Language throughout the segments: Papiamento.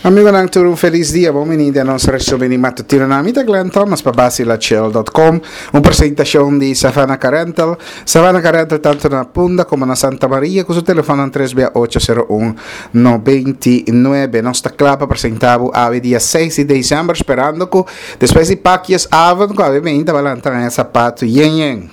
Amigonan tur un felis dia, bon bini den nos resumen di matutinonan. Mi ta Glenn Thomas pa Basilachel.com, un presentacion di Savannah Car Rental. Savannah Car Rental tanto na Punda como na Santa Maria cu su telefonnan 3 bia 801 99. Nos ta cla pa presenta bo awe dia 6 di december sperando cu despues di pakjes avond cu awe meinta bo a lanta haña zapato yen yen.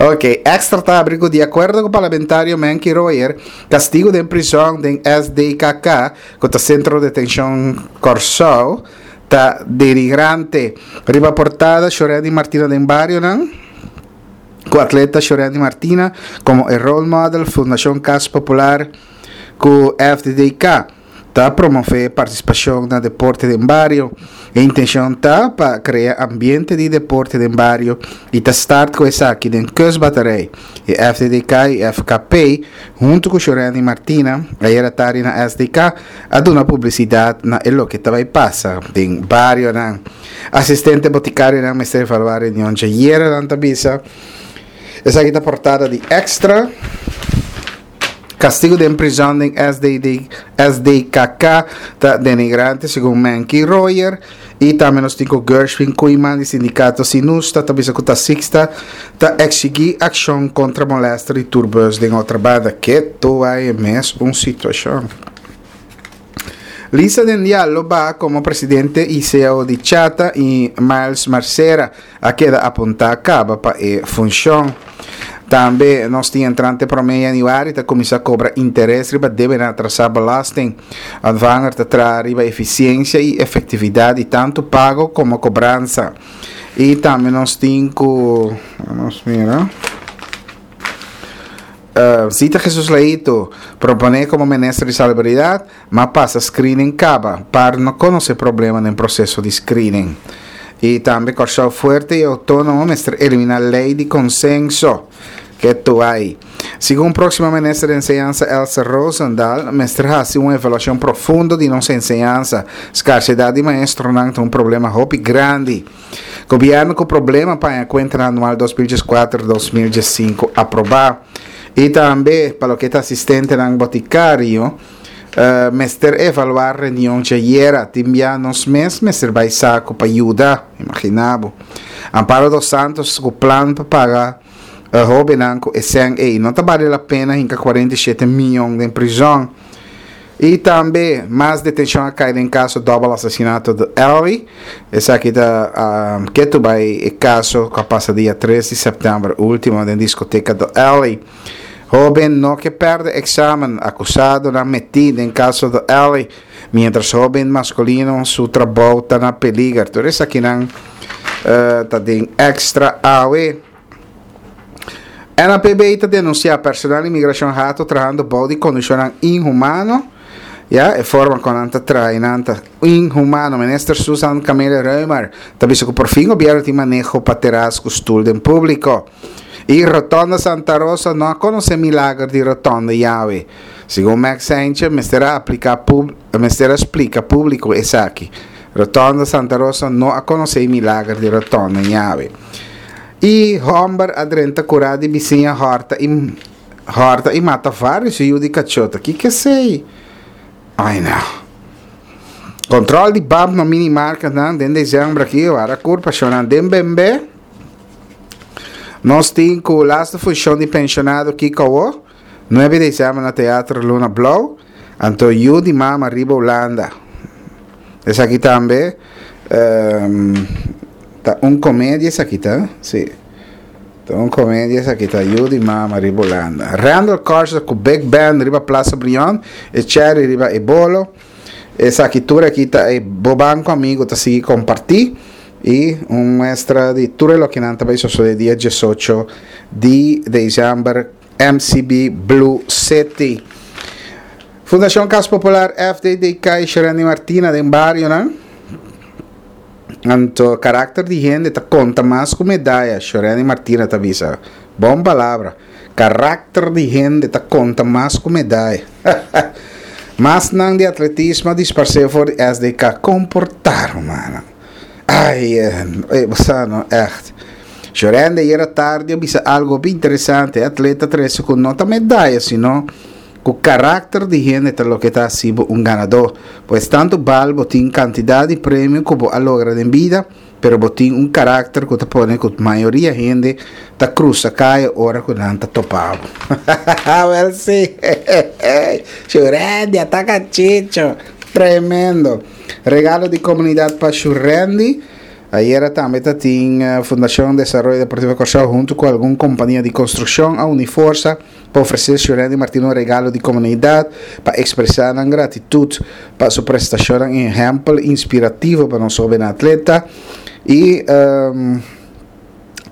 Ok, Extra ta abri ku di akuerdo ku parlamentario Menky Royer, kastigu den prison den SDKK, ku ta Sentro Detenshon Kòrsou, ta denigrante. Riba portada Shorendy Martina den barionan, ku atleta Shorendy Martina komo e role model, Fundashon Kas Popular ku FDDK. Ta promové partisipashon na deporte den bario. E intenshon ta pa krea ambiente di deporte den bario i ta start ku esaki den Kustbatterij. E FDDK i FKP huntu ku Shorendy Martina ayera tardi na SDK a duna publisidat na e loke ta bai pasa den barionan. Asistente botikarionan mester evaluá reunion djayera, nan ta bisa. Esaki ta portada di Extra. Castigo den prizon den SDD, SDKK ta denigrante segun Menky Royer y tambe nos tin cu Gershwin Koeiman di sindicato Sinusta ta bisa cu taxista ta exigi accion contra molester di tourbus den Otrabanda. Keto bay mes un situacion. Lisa Dendial lo baha como presidente y ceo di Chata y Miles Marcera a keda apuntá kaba pa e funshon. Tambe nos tin entrante promé yanüari ta kuminsá kobra interes riba debenan atrasá belasting. Ontvanger ta traha riba efisiensia i efektividat di tantu pago komo kobransa. I tambe nos tin ku, nos mira. Zita Jesus Leito, proponé komo minister di Salubridat, ma pasa screening kaba, par no konosé problema den proseso di screening. I tambe Kòrsou Fuerte i Outónomo mester eliminá lei di konsenso. Ke tuai. Segun próksimo minister di Enseñansa Elsa Rozendal, mester hasi un evaluashon profundo di nos enseñansa. Skarsedat di maestronan ta un problema hopi grandi. Gobièrnu ku problema pa haña kuentanan anual 2014, 2015 aprobá. I tambe pa loke ta asistentenan botikario, mester evaluá reunion djayera. Tin bia nos mes mester bai saku pa yuda. Imaginá bo. Amparo dos Santos ku plan pa paga hóbennan ku e sèn ei. No ta bale la pena hinka 47 mion den prizòn. I tambe mas detenshon a kai den kaso dòbel asesinato di Ellie. Esaki ta ketu bai e kaso ku a pasa dia tres di sèptèmber último den diskoteka The Alley. Hóben no ke pèrdè eksamen, akusadonan metí den kaso The Alley, miéntras hóben maskulino su trabou ta na peliger. Tur esakinan ta den Extra awe. NAPB ta denunsiá personal inmigrashon hato trahando bou di kondishonnan inhumano. Ya, e forma kon nan ta traha nan ta inhumano. Minister Susan Camelia Römer ta bisa ku porfin gobièrnu tin maneho pa teras ku stul den públiko. I Rotonda Santa Rosa no a konosé milager di rotonda yawe. Segun Max Heintje mester a apliká mester a splika públiko esaki. Rotonda Santa Rosa no a konosé milager di rotonda yawe. I hòmber a drenta kurá di bisiña hòrta i hòrta i mata vários yu di kachó. Ta kiko esei? Ai no. Kòntròl di bab na minimarketnan den desèmber aki wara kur pashonnan den bembé. Nos tin ku laste funshon di penshonado kiko awó? Nuebe desèmber na Teatro Luna Blou. Anto yu di mama riba Hulanda. Esaki tambe ta un komedia esaki ta, si. Ta un komedia esaki ta, yu di mama riba Hulanda. Randal Carter ku Big Band riba Plaza Brion, e cherry riba e bolo. Esaki tur aki ta e bo banco amigo ta sigui comparti y un muestra di tur e lokenan ta bay sosode dia diesocho di december MCB Blue City. Fundacion Cas Popular FDDK y Sherendy Martina den barionan. Anto karakter di hende ta konta mas ku medaya, Sherendy Martina ta bisa. Bon palabra. Karakter di hende ta konta mas ku medaya. Masnan di atletismo a disparsé for di SDK. Komportá, rumannan. Ai, eh, bo sa no, ègt. Sherendy ayera tardi a bisa algu hopi interesante. E atleta trese ku no ta medaya, sino. Ku karakter di hende ta loke ta hasi bo un ganadó. Pues tantu bal bo tin kantidat di premio ku bo a logra den bida, pero bo tin un karakter ku ta pone ku mayoria hende ta krusa kaya ora ku nan ta topa bo. Wèl si! Shurendi a ta kachicho! Tremendo! Regalo di komunidat pa Shurendi. Ayera tambe ta tin Fundashon Desaroyo Deportivo Kòrsou huntu ku algun kompania di konstrukshon a uni forsa pa ofresé Shurendi Martina un regalo di komunidat pa ekspresá nan gratitut pa su prestashonnan i ehèmpel inspirativo pa nos hóbennan atleta i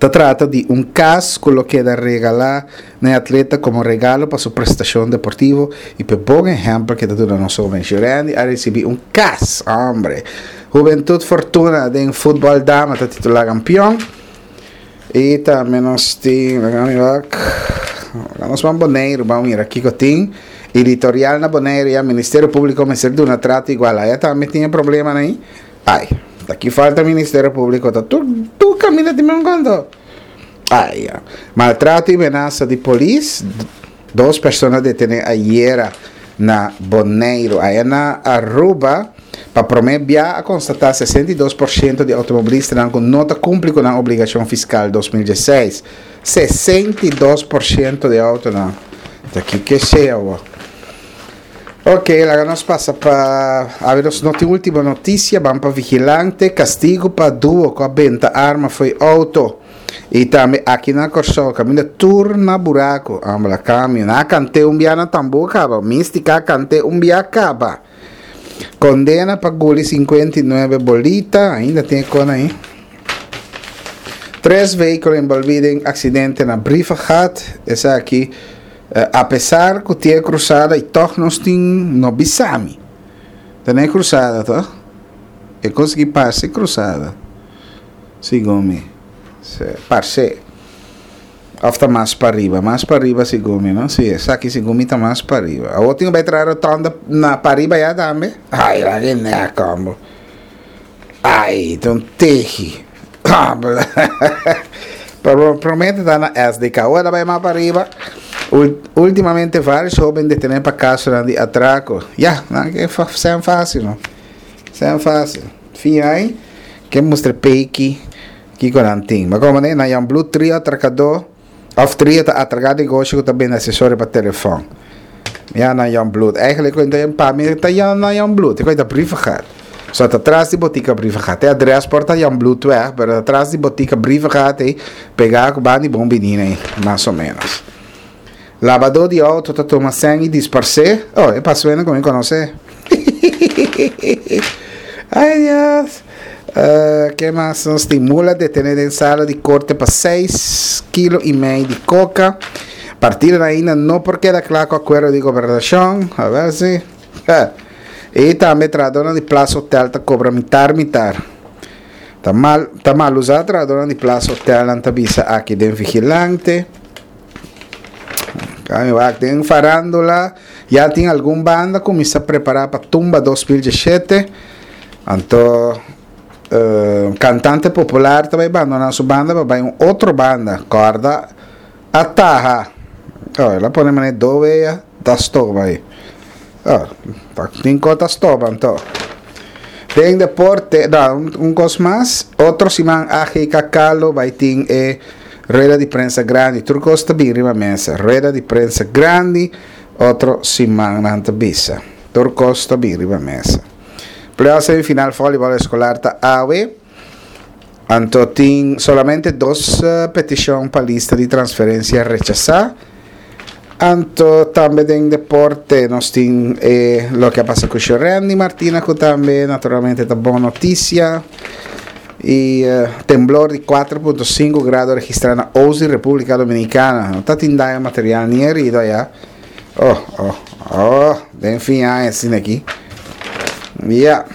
ta trata di un kas ku lo keda regalá na e atleta komo regalo pa su prestashon deportivo i pa e bon ehèmpel ke ta duna nos hóben. Shurendi a risibí un kas, hombre! Hubentut Fortuna den futbòl dama ta titulá kampion. I tambe nos tin, laga mi wak, laga nos ban Boneiru, ban mira kiko tin. Editorial na Boneiru ya Ministerio Públiko mester duna trato igual. Aya tambe tin e problemanan ei. Ai, ta ki falta Ministerio Públiko ta tur tur kaminda tin men konto. Ai ya. Maltrato i menasa di polis, dos persona detené ayera na Boneiru. Aya na Aruba. Pa promé bia a konstatá 62% di outomobilistanan ku no ta kumpli ku nan obligashon fiskal 2016. 62% di outonan. Ta kiko esei awor? Ok, laga nos pasa pa awe nos no tin último notisia, ban pa vigilante, kastigu pa duo ku a benta arma fo'i outo. I tambe aki na Kòrsou kaminda tur na buraku, ambla kambio, nan a kant'é un bia na tambú kaba, Místika a kant'é un bia kaba. Condena pa guli 59 bolita, ainda tin e con ahí. Tres vehículo envolví den accidente na Brievengat. Esaki, eh, a pesar cu tin e cruzada y toch nos tin, no bisami. Ta na e cruzada, toch? E cos aki parce cruzada. Segun mi. Parce. Of ta mas pariba? Mas pariba segun mi, no? Si, esaki segun mi ta mas pariba. Awor tin ku bai traha rotonda na pariba ya tambe? Ai, la ke nek, hombre. Ai, ta un tehi. Pero promé ta na SDK. Awor ta bai mas pariba. Ultimamente varios hoben detené pa kasonan di atrako. Ya, nan ke sean fácil, no? Sean fácil. Fin ai, ke mustra peki. Kiko nan tin? Ma komo ne, na Jan Blue trio atrakadó òf trio ta atraká negoshi ku ta bende asesorio pa telefòn. Ya na Jan Bloed. Eigenlijk ku ta pa mi ta ya na Jan Bloed. E ta Brievengat. So ta tras di botika Brievengat. E adres por ta Jan Bloedweg, pero ta tras di botika Brievengat ei, pegá ku banda di Bon Biní ei, mas o menos. Labadó di outo ta tuma sèn i disparsé. Oh, e pasuena ku mi konosé. Ay Dios. Uh, ke mas nos tin? Mula detené den sala di korte pa 6 kilo i mei di koka. Partidonan ainda no por keda kla ku akuerdo di gobernashon. A ver si. I tambe trahadónan di Plaza Hotel ta kobra mitar mitar. Ta mal, ta mal usá trahadónan di Plaza Hotel nan ta bisa aki den Vigilante. Kami wak den farándula ya tin algun banda kuminsá prepará pa Tumba 2017. Anto uh, kantante popular ta bai bandoná su banda pa bai un otro banda. Kòrda a taha. Oh, el a pone manera do wea ta stoba ei. Oh, ta tin kos ta stoba anto. Den deporte, no, un, un kos mas, otro siman AGKK lo bai tin e Rueda di prensa grandi, tur kos ta bin riba mesa. Rueda di prensa grandi, otro siman nan ta bisa. Tur kos ta bin riba mesa. Playoff semifinal volleyball escolar ta awe. Anto tin solamente dos eh, peticion pa lista di transferencia rechasa. Anto tambe den deporte nos tin eh, loke a pasa ku Shorendi Martina ku tambe naturalmente ta bon noticia. Y eh, temblor di 4.5 grado registra na Ozi, República Dominicana. No ta tin daño material ni herido allá. Oh, oh, oh, den fin aña asina aquí. Ja.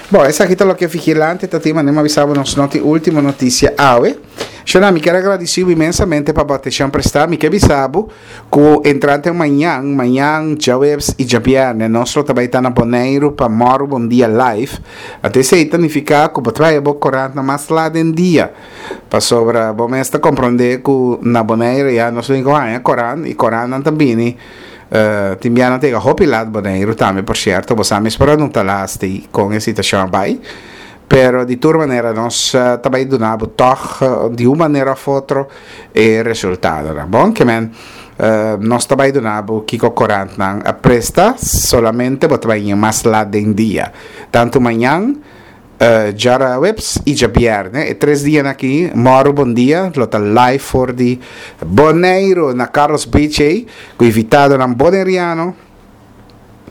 Bon, esaki ta loke Vigilante ta tin, manera mi a bisa bo nos no tin ultimo noticia awe. Shona, mi kier a gradisi bo inmensamente pa bo atencion presta. Mi ke bisa bo ku entrante mañan, mañan, djaweps i djabierne nos lo ta bai ta na Boneiru pa Mòru Bon Dia Live. Anto esei ta nifiká ku bo ta bai bo korantnan mas lat den dia, pasobra bo mes ta komprondé ku na Boneiru ya nos lo tin ku haña korant i korantnan ta bini. Tin bia nan ta yega hopi lat Boneiru tambe por sierto, bo sa mes por a nota lasti kon e situashon a bai, pero di tur manera nos ta bai duna bo tòg di un manera òf otro e resultadonan. Bon, ke men nos ta bai duna bo kiko korantnan a presta, solamente bo ta bai ña mas lat den dia, tantu mañan, Djarawebs i djabièrnè, e tres dianan aki, Mòru Bon Dia lo ta live for di Boneiru na Carlos Beach ei, ku invitadonan boneriano.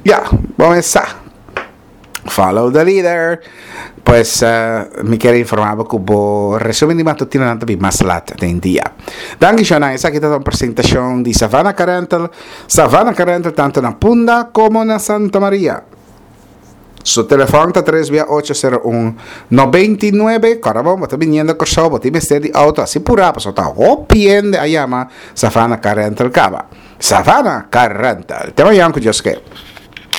Ya, bo mes sa. Follow the leader! Pues, mi kier informá bo ku bo resumen di matutinonan ta bin mas lat den dia. Danki shownan, esaki ta un presentashon di Savannah Car Rental. Savannah Car Rental tantu na Punda komo na Santa Maria. Su telefòn ta tres bia ocho sero un 99. Kòrda bon, bo ta biniendo Kòrsou, bo tin mester di outo, hasi purá pasobra ta hopi hende a yama Savannah Car Rental kaba. Savannah Car Rental. Te mañan ku Dios ke.